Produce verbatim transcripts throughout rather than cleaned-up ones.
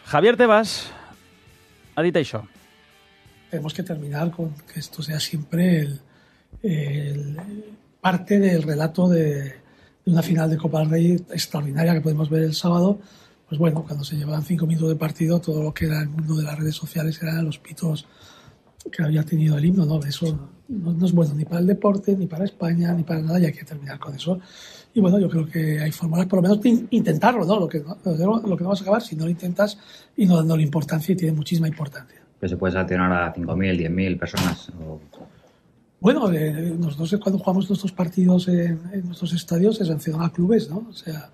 Javier Tebas ha dit això. Tenemos que terminar con que esto sea siempre el, el parte del relato de, de una final de Copa del Rey extraordinaria que podemos ver el sábado. Pues bueno, cuando se llevaban cinco minutos de partido, todo lo que era el mundo de las redes sociales eran los pitos que había tenido el himno, ¿no? Eso no, no es bueno ni para el deporte, ni para España, ni para nada, y hay que terminar con eso. Y bueno, yo creo que hay fórmulas, por lo menos intentarlo, ¿no? Lo que no, lo que no vas a acabar si no lo intentas y no dándole importancia, y tiene muchísima importancia. ¿Que se puede sancionar a cinco mil, diez mil personas? O... Bueno, eh, nosotros cuando jugamos nuestros partidos en, en nuestros estadios se sancionan a clubes, ¿no? O sea,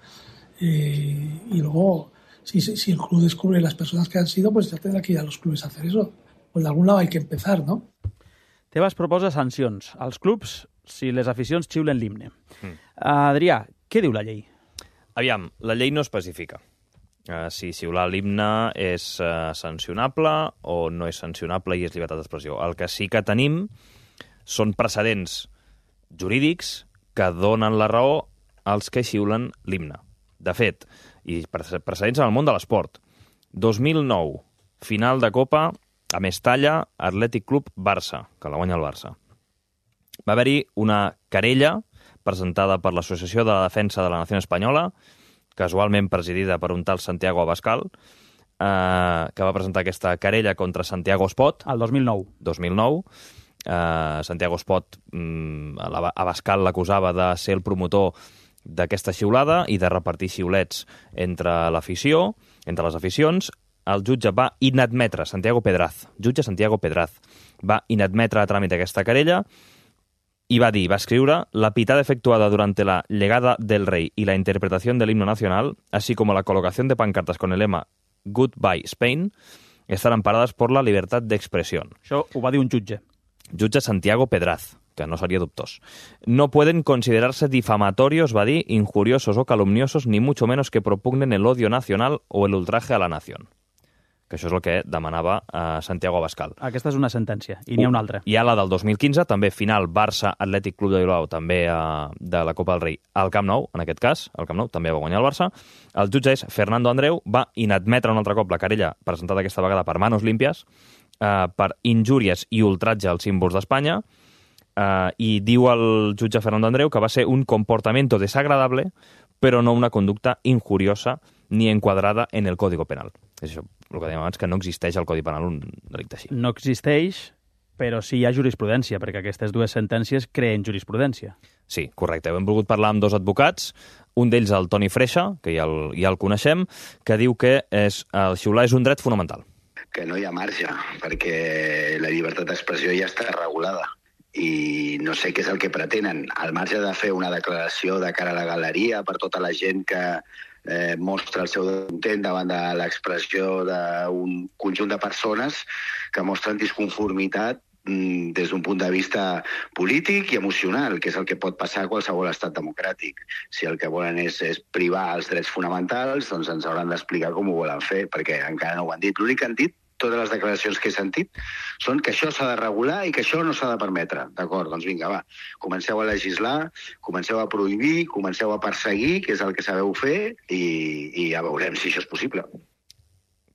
eh, y luego, si, si el club descubre las personas que han sido, pues ya tendrá que ir a los clubes a hacer eso. Pues de algun lado hay que empezar, no? Tebas proposa sancions als clubs si les aficions xiulen l'himne. Mm. Adrià, què diu la llei? Aviam, la llei no especifica uh, si xiular l'himne és uh, sancionable o no és sancionable i és llibertat d'expressió. El que sí que tenim són precedents jurídics que donen la raó als que xiulen l'himne. De fet, i precedents en el món de l'esport. dos mil nou, final de Copa a Mestalla, Atlètic Club Barça, que la guanya el Barça. Va haver-hi una querella presentada per l'Associació de la Defensa de la Nació Espanyola, casualment presidida per un tal Santiago Abascal, eh, que va presentar aquesta querella contra Santiago Espot. El dos mil nou. dos mil nou. Eh, Santiago Espot, mm, Abascal l'acusava de ser el promotor d'aquesta xiulada i de repartir xiulets entre l'afició, entre les aficions. El jutge va inadmetre, Santiago Pedraz, jutge Santiago Pedraz, va inadmetre a tràmit aquesta querella i va dir, va escriure, la pitada efectuada durante la llegada del rey y la interpretación del himno nacional, así como la colocación de pancartas con el lema Goodbye Spain, estan amparadas por la libertad de expresión. Això ho va dir un jutge. Jutge Santiago Pedraz, que no seria dubtós. No pueden considerarse difamatorios, va dir, injuriosos o calumniosos, ni mucho menos que propugnen el odio nacional o el ultraje a la nación. Que això és el que demanava uh, Santiago Abascal. Aquesta és una sentència, i n'hi ha una altra. Hi ha la del dos mil quinze, també final Barça-Atlètic Club de Bilbao, també uh, de la Copa del Rei, al Camp Nou, en aquest cas, al Camp Nou també va guanyar el Barça. El jutge és Fernando Andreu, va inadmetre un altre cop la querella presentada aquesta vegada per Manos Limpias, uh, per injúries i ultratge als símbols d'Espanya, uh, i diu el jutge Fernando Andreu que va ser un comportamiento desagradable, però no una conducta injuriosa ni enquadrada en el Código Penal. És això, el que dèiem abans, que no existeix al Codi Penal un delicte així. No existeix, però sí hi ha jurisprudència, perquè aquestes dues sentències creen jurisprudència. Sí, correcte. Hem volgut parlar amb dos advocats, un d'ells el Toni Freixa, que ja el, ja el coneixem, que diu que és, el xiular és un dret fonamental. Que no hi ha marge, perquè la llibertat d'expressió ja està regulada. I no sé què és el que pretenen. Al marge de fer una declaració de cara a la galeria per tota la gent que eh, mostra el seu intent davant de l'expressió d'un conjunt de persones que mostren disconformitat mm, des d'un punt de vista polític i emocional, que és el que pot passar a qualsevol estat democràtic. Si el que volen és, és privar els drets fonamentals, doncs ens hauran d'explicar com ho volen fer, perquè encara no ho han dit. L'únic que han dit, totes les declaracions que he sentit, són que això s'ha de regular i que això no s'ha de permetre. D'acord, doncs vinga, va, comenceu a legislar, comenceu a prohibir, comenceu a perseguir, que és el que sabeu fer, i, i ja veurem si això és possible.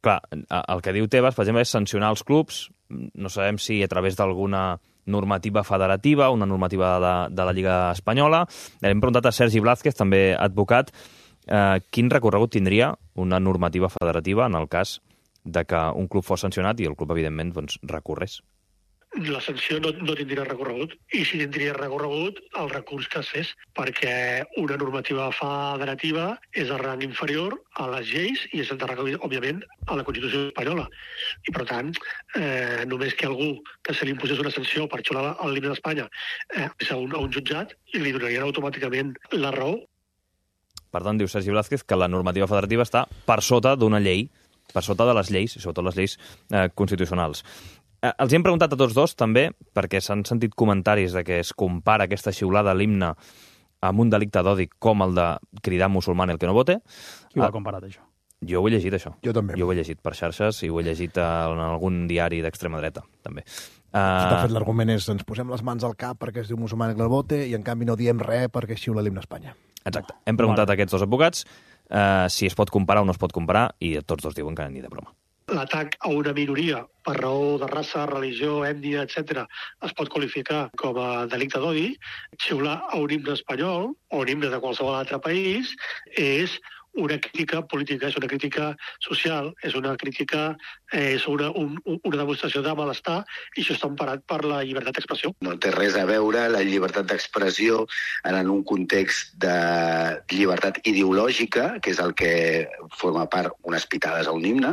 Clar, el que diu Tebas, per exemple, és sancionar els clubs. No sabem si a través d'alguna normativa federativa, una normativa de, de la Lliga Espanyola. Hem preguntat a Sergi Blázquez, també advocat, eh, quin recorregut tindria una normativa federativa en el cas de que un club fos sancionat i el club, evidentment, doncs, recorrés. La sanció no, no tindria recorregut, i si tindria recorregut, el recurs que es fes, perquè una normativa federativa és el rang inferior a les lleis i és el de recollir, òbviament, a la Constitució espanyola. I, per tant, eh, només que algú que se li imposés una sanció per xiular el l'himne d'Espanya eh, a, un, a un jutjat i li donarien automàticament la raó. Per tant, diu Sergi Blázquez que la normativa federativa està per sota d'una llei, per sota de les lleis, i sobretot les lleis eh, constitucionals. Eh, els hem preguntat a tots dos, també, perquè s'han sentit comentaris de que es compara aquesta xiulada a l'himne amb un delicte d'odi com el de cridar musulmán el que no vote. Qui ho ha comparat, això? Jo ho he llegit, això. Jo també. Jo ho he llegit per xarxes i ho he llegit en algun diari d'extrema dreta, també. Uh... De fet, l'argument és ens posem les mans al cap perquè es diu musulmán el que no vote i, en canvi, no diem res perquè xiula l'himne a Espanya. Exacte. Hem preguntat a aquests dos advocats. eh, si es pot comparar o no es pot comparar, i tots dos diuen que ni de broma. L'atac a una minoria per raó de raça, religió, ètnia, etcètera, es pot qualificar com a delicte d'odi. Xiular a un himne espanyol o un himne de qualsevol altre país és una crítica política, és una crítica social, és una crítica, eh, és una, un, una demostració de malestar, i això està emparat per la llibertat d'expressió. No té res a veure la llibertat d'expressió en un context de llibertat ideològica, que és el que forma part unes pitades a un himne,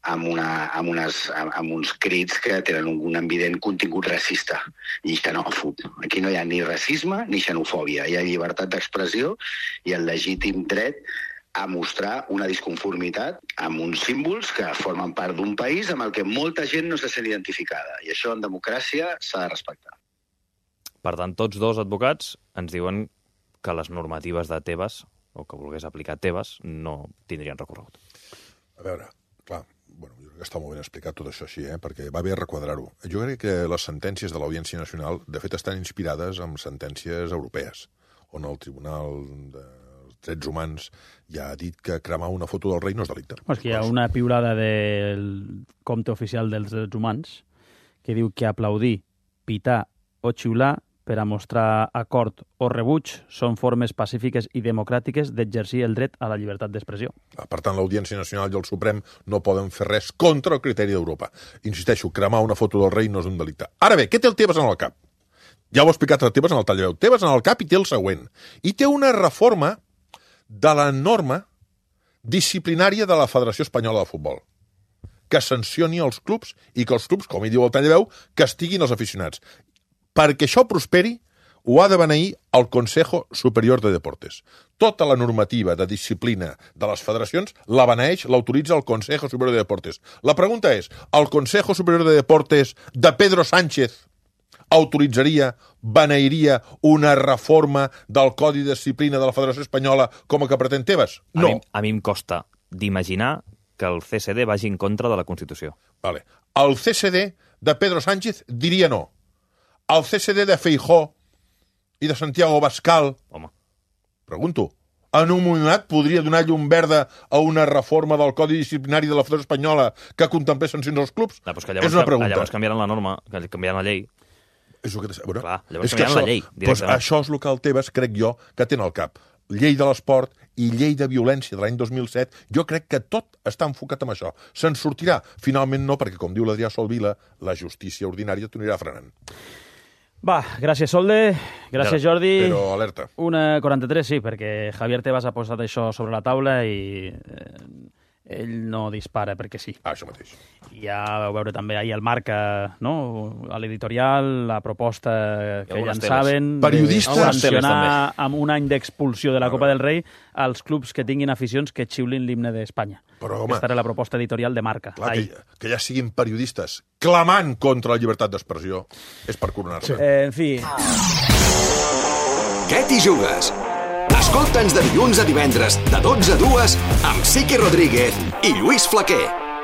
amb, una, amb, unes, amb, amb uns crits que tenen un, un evident contingut racista i xenòfob. Aquí no hi ha ni racisme ni xenofòbia, hi ha llibertat d'expressió i el legítim dret a mostrar una disconformitat amb uns símbols que formen part d'un país amb el que molta gent no se sent identificada. I això en democràcia s'ha de respectar. Per tant, tots dos advocats ens diuen que les normatives de Tebas, o que volgués aplicar Tebas, no tindrien recorregut. A veure, clar, bueno, jo crec que està molt ben explicat tot això així, eh? Perquè va bé requadrar-ho. Jo crec que les sentències de l'Audiència Nacional, de fet, estan inspirades en sentències europees, on el Tribunal de Drets Humans ja ha dit que cremar una foto del rei no és delicte. És que hi ha una piulada del compte oficial dels drets humans que diu que aplaudir, pitar o xiular per a mostrar acord o rebuig són formes pacífiques i democràtiques d'exercir el dret a la llibertat d'expressió. Per tant, l'Audiència Nacional i el Suprem no poden fer res contra el criteri d'Europa. Insisteixo, cremar una foto del rei no és un delicte. Ara bé, què té el Tebas en el cap? Ja ho ha explicat el Tebas en el tall de veu. Tebas en el cap i té el següent. I té una reforma de la norma disciplinària de la Federació Espanyola de Futbol, que sancioni els clubs i que els clubs, com hi diu el tall de veu, castiguin els aficionats. Perquè això prosperi, ho ha de beneir el Consejo Superior de Deportes. Tota la normativa de disciplina de les federacions la beneeix, l'autoritza el Consejo Superior de Deportes. La pregunta és, el Consejo Superior de Deportes de Pedro Sánchez autoritzaria, beneiria una reforma del Codi de Disciplina de la Federació Espanyola com a que pretén Tebas? No. A mi, a mi em costa d'imaginar que el C S D vagi en contra de la Constitució. Vale. El C S D de Pedro Sánchez diria no. El C S D de Feijóo i de Santiago Abascal, Home. pregunto, en un moment podria donar llum verda a una reforma del Codi Disciplinari de la Federació Espanyola que contemplés sancions als clubs? No, que llavors, és una pregunta. Llavors canviaran la norma, canviaran la llei. És el que bueno, Clar, llavors és que canviaran això, la llei, doncs directament. això és el que el Tebas, crec jo, que té al cap. Llei de l'esport i llei de violència de l'any dos mil set, jo crec que tot està enfocat en això. Se'n sortirà? Finalment no, perquè, com diu l'Adrià Solvila, la justícia ordinària t'ho anirà frenant. Va, gràcies, Solde. Gràcies, Jordi. Però alerta. Una quaranta-tres, sí, perquè Javier Tebas ha posat això sobre la taula i eh, ell no dispara perquè sí. Ah, això mateix. I ja vau veure també ahir el Marca, no? A l'editorial, la proposta que llançaven... Periodistes. De sancionar amb un any d'expulsió de la Copa del Rei als clubs que tinguin aficions que xiulin l'himne d'Espanya. Però, home, aquesta era la proposta editorial de Marca. Clar, que, que ja siguin periodistes clamant contra la llibertat d'expressió és per coronar-se. Eh, en fi... Què t'hi jugues? Escolta'ns de dilluns a divendres, de dotze a dues, amb Siqui Rodríguez i Lluís Flaquer.